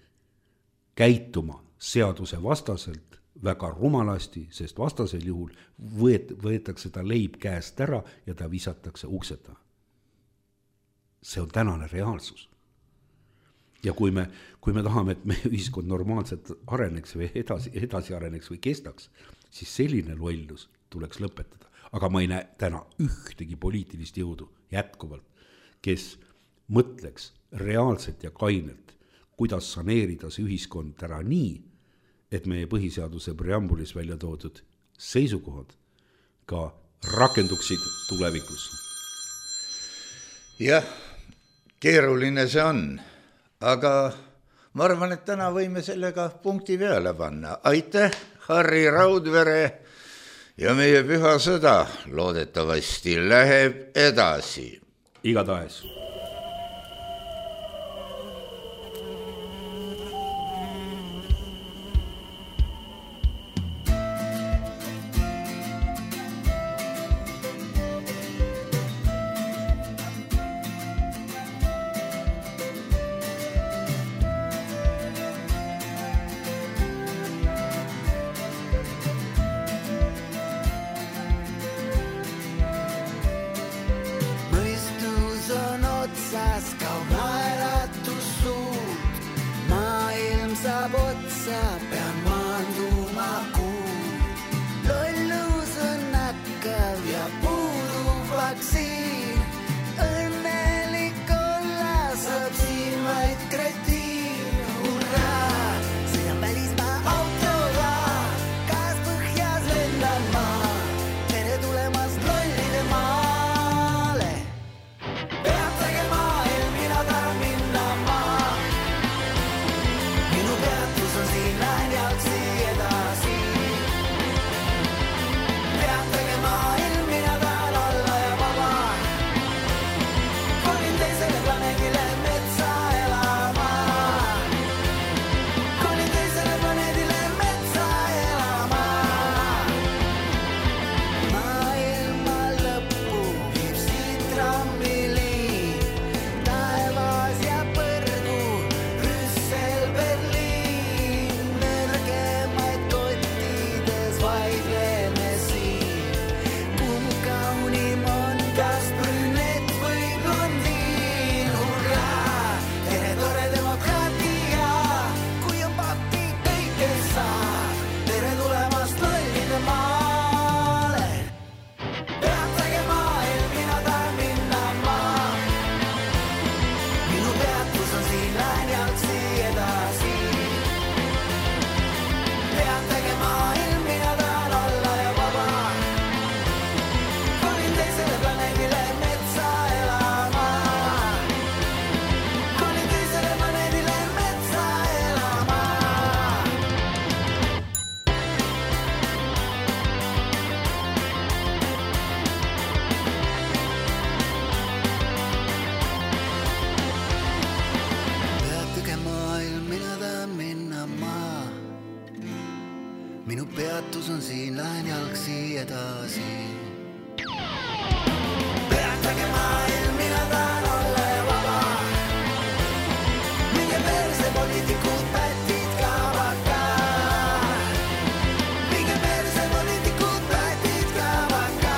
käituma seaduse vastaselt väga rumalasti, sest vastasel juhul võet, võetakse ta leib käest ära ja ta visatakse ukseta. See on tänane reaalsus. Ja kui me, kui me tahame, et meie ühiskond normaalselt areneks või edasi, edasi areneks või kestaks, siis selline lollus tuleks lõpetada. Aga ma ei näe täna ühtegi poliitilist jõudu jätkuvalt, kes mõtleks reaalselt ja kainelt, kuidas saneerida see ühiskond ära nii, et meie põhiseaduse preambulis välja toodud seisukohad ka rakenduksid tulevikus. Jah, keeruline see on, aga ma arvan, et täna võime sellega punkti peale panna. Aitäh, Harri Raudvere, ja meie püha sõda loodetavasti läheb edasi. Igatahes. peatus on siin, lähen jalgsi edasi. Peatage maailm, mina tahan olla ja vaba. Minge perse poliitikud, pätid ka vaka. Minge perse poliitikud, pätid ka vaka.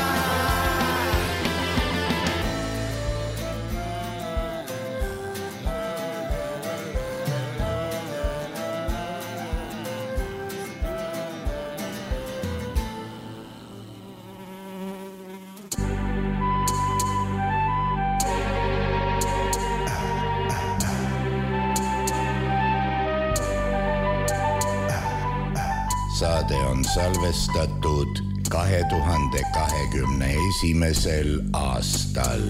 Saade on salvestatud kahe tuhande kahekümne esimesel aastal.